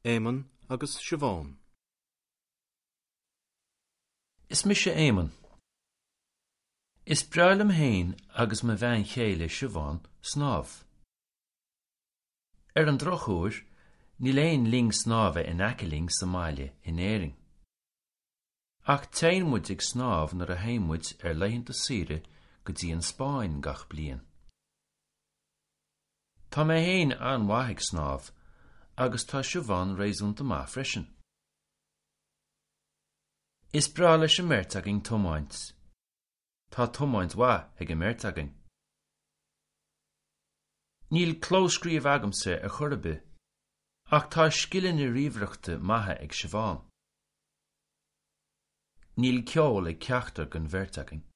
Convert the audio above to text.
Éamonn agus Siobhán. Is mise Éamonn. Is breá liom féin agus mo bhean chéile Siobhán snámh. Ar an drochuair, níl aon linn snámha in aice linn sa mbaile in Éirinn. Ach téann muid ag snámh nuair a théann muid ar laethanta saoire go dtí an Spáinn gach bliain. Tá mé féin an-mhaith ag snámh agus tá Siobhán réasúnta maith freisin. Is breá leis an mbeirt againn tiomáint. Tá tiomáint mhaith ag an mbeirt againn. Níl clóscríobh agamsa ar chor ar bith, ach tá scileanna ríomhaireachta maithe ag Siobhán. Níl ceol ag ceachtar den bheirt againn.